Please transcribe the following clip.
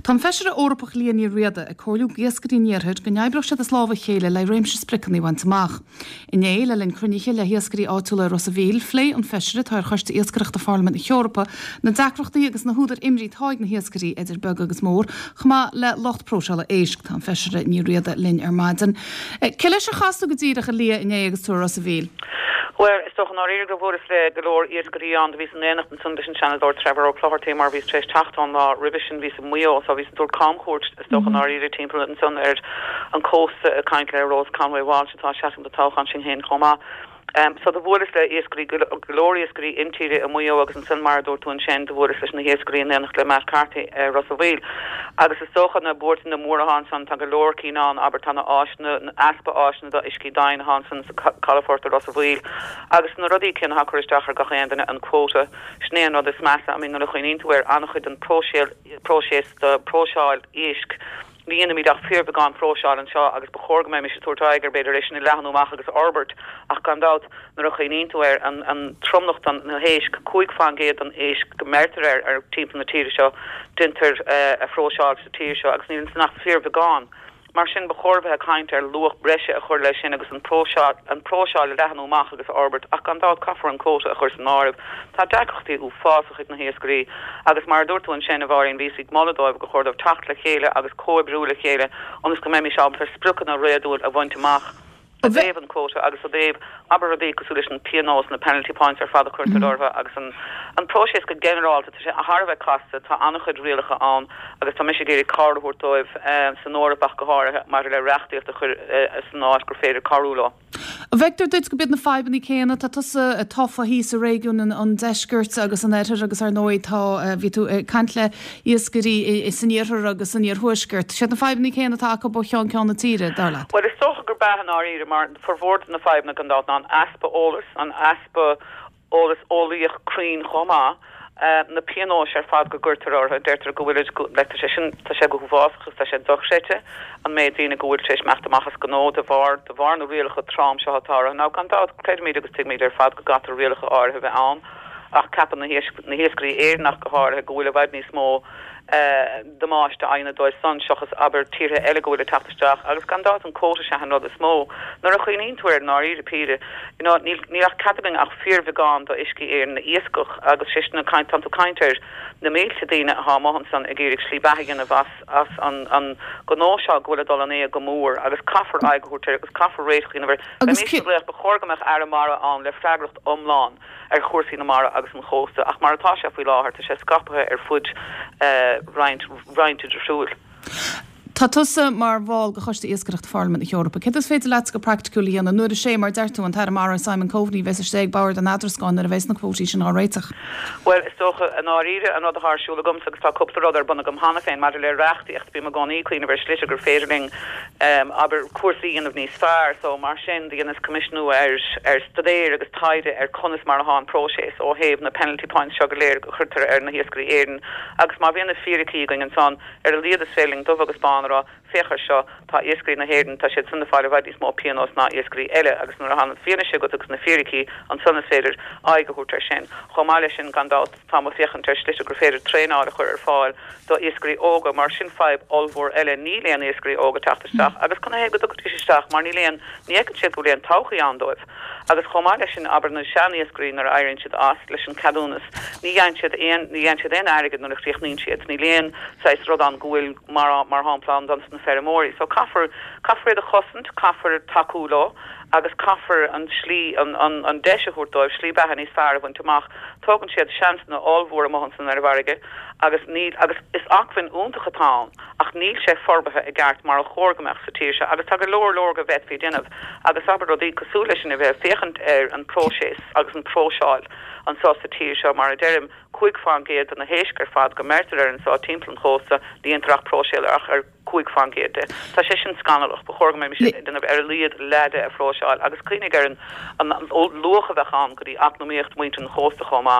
Tá an Feisire Eorpach Liadh Ní Riada ag comhairliú d'iascairí an iarthair go n-oibreodh siad as lámha a chéile le réimse spriocanna a bhaint amach. Inné, le linn cruinnithe le hiascairí áitiúla i Ros a' Mhíl, phléigh an Feisire, atá ar Choiste Iascaireachta Pharlaimint na hEorpa, na deacrachtaí agus na húdair imní atá ag na hiascairí, idir beag agus mór, chomh maith le lucht próiseála éisc. Tá an Feisire Ní Riada linn ar maidin. Cé leis ar chas tú go díreach, a Liadh, inné agus tú i Ros a' Mhíl? Bhuel, is dócha i ndáiríre gur bhuaileas le go leor iascairí ann. Do bhíos in éineacht ansan leis an Seanadóir Trevor Ó Clochartaigh mar bhíos tar éis teacht ón lá roimhe sin, bhíos i Maigh Eo so bhíos ag tabhairt camchuairt, is dócha i ndáiríre, timpeall ansan ar an cósta ag caint le Rose Conway Walsh atá ag seasamh do toghchán Sinn Féin chomh maith. So do bhuaileas le iascairí, go leor iascairí intíre i Maigh Eo agus ansan mar a dúirt tú ansin, do bhuaileas leis na hiascairí in éineacht le Matt Carthy i Ros a' Mhíl. Agus is dócha na buairteanna móra atá ansan, tá go leor cinn ann, abair tá na áiseanna, easpa áiseanna do uiscí domhain atá ansan sa calafort i Ros a' Mhíl agus na rudaí céanna atá ag cur isteach ar gach aon duine, an quota, sin é an rud is measa, I mean nuair a chuimhníonn tú ar an-chuid den próiseas do próiseáil éisc, Ní dhéanaimid ach fíorbheagán próiseáil anseo agus ba chóir go mbeimis ag tabhairt aghaidh ar b'fhéidir é sin a leathnú amach agus a fhorbairt ach gan dabht nuair a chuimhníonn tú ar an an tromlach den na héisc, 5% den éisc go mbeirtear air ar timpeall na tíre seo, déantar a phróiseáil sa tír seo agus níl ansin ach fíorbheagán. Mar sin ba chóir a bheith ag caint ar luach breise a chur leis sin agus an próiseáil an próiseáil a leathnú amach agus a fhorbairt ach gan dabht caithfear an quota a chur san áireamh. Tá deacrachtaí uafásach ag na hiascairí agus mar a dúirt tú ansin, a Mháirín, bhíos ag moladh dóibh gur chóir dóibh teacht le chéile agus comhoibriú le chéile ionas go mbeimis ábalta spriocanna réadúil a bhaint amach i dtaobh an quota agus i dtaobh, abair, rudaí cosúil leis an pionós, na penalty points ar fad a chuirtear orthu agus an an próiseas go ginearálta, tá sé thar a bheith casta, tá an-chuid rialacha ann agus tá mise ag iarraidh cabhair a thabhairt dóibh san Eoraip ach go háirithe maidir le reachtaíocht a chur san áit gur féidir cabhrú leo. An bhfeictear duit gurb iad na fadhbanna céanna? Tá tusa tofa thíos i réigiún an deiscirt agus an oirthir agus ar ndóigh tá, bhí tú ag caint le iascairí san iarthar agus san iarthuaisceart. Siad na fadhbanna céanna atá acu ó cheann ceann na tíre, dar leat? Bhuel, is dócha gurb ea i ndáiríre mar formhór de na fadhbanna gan dabht ná an easpa eolais, an easpa eolas eolaíoch cruinn chomh maith, na pionóis ar fad go gcuirtear orthu, deirtear go bhfuilid, like, tá sé sin, tá sé go huafásach agus tá sé dochreidte an méid daoine go bhfuil tar éis imeacht amach as gnó de bharr, de bharr na rialacha trom seo atá orthu. Now gan dabht, creidimid agus tuigimid ar fad go gcaithfear rialacha áirithe a bheith ann ach ceapann na hiascairí Éireannach go háirithe go bhfuil i bhfad níos mó damáiste á dhéanamh dóibh san seachas, abair, tíortha eile go bhfuil ag teacht isteach agus gan dabht an quota is ea an rud is mó. Nuair a chuimhníonn tú air i ndáiríre píre, you know, níl, níl ach cead againn ach fíorbheagán d'uiscí Éireann a iascach agus sé sin an caint, tánn tú ag caint ar na mílte daoine athá amuigh ansan ag iarraidh slí beatha a dhéanamh as, as an, an gnó seo go bhfuil ag dul in éag go mór agus caithfear aghaidh a thabhairt air agus caithfear réiteach a dhéanamh air. Agus Bheinn iontach buíoch, ba chóir go mbeadh Aire Mara ann le freagracht iomlán. ar chúrsaí na mara agus an chósta, ach mar atá sé faoi láthair, tá sé scaipthe ar fud roinnt roinnte difriúil. Tá tusa mar bhall de Choiste Iascaireachta Pharlaimint na hEorpa. Céard is féidir leatsa go praiticiúil a dhéanamh nuair is é, mar deir tú, an tAire Mara Simon Coveney a bheas istigh ag bord an eadrascáin nuair a bheas na quótaí sin á réiteach? Bhuel, is dócha, i ndáiríre, an rud atá ar siúl agamsa, agus tá cúpla rud ar bun agam cheana féin maidir le reachtaíocht, bím i gcónaí ag cuimhneamh ar shlite gur féidir linn, abair, cúrsaí a dhéanamh níos fearr. So, mar sin, do dheineas coimisiúnú ar, ar staidéar agus taighde ar conas mar athá an próiseas ó thaobh na penalty points seo go léir go chuirtear ar na hiascairí Éireann agus má bhíonn na fíricí againn ansan, ar a laghad is féidir linn dubh agus bán a rá, féach ar seo, tá iascairí na hÉireann, tá siad san ag fáil i bhfad níos mó pionós ná iascairí eile agus nuair athá an fianaise agat agus na fíricí, ansan is féidir aghaidh a thabhairt ar sin. Chomh maith leis sin, gan dabht, Táim ag féachaint ar shlite gur féidir traenáil a chur ar fáil do iascairí óga mar sin fadhb ollmhór eile, níl aon iascairí óga ag teacht isteach agus canathaobh go dtiocfaidís isteach mar níl aon, ní fheiceann siad go bhfuil aon todhchaí ann dóibh. Agus chomh maith leis sin, abair na sean-iascairí nuair a éiríonn siad as leis an ceadúnas, ní fhaigheann siad aon, ní fhaigheann siad aon airgead nuair a chríochnaíonn siad, níl aon saghas rud ann go bhfuil mar, mar shampla ann dos na feirmeoirí. So caithfear, caithfear iad a chosaint, caithfear tacú leo agus caithfear an slí, an, an, an deis a thabhairt dóibh slí beatha níos fearr a bhaint amach. Tógann siad seansanna ollmhóra amuigh ansan ar an bhfarraige agus níl, agus is acmhainn iontach atá ann ach níl sé forbartha i gceart mar a chóir go mbeadh sa tír seo agus tá go leor leor go bhféadfaí déanamh agus abair rudaí cosúil leis sin a bheith ag féachaint ar an próiseas agus an próiseáil anso sa tír seo mar a deirim 5% de na héisc ar fad go mbeirtear air anso timpeall an chósta ní dhéantar ach próiseáil ach ar 5% de. Tá sé sin scannalach. Ba chóir go mbeimis ag déanamh ar a laghad leath de a phróiseáil agus cuimhnigh ar an luach a bheadh ann go dtí eacnamaíocht mhuintir an chósta chomh maith.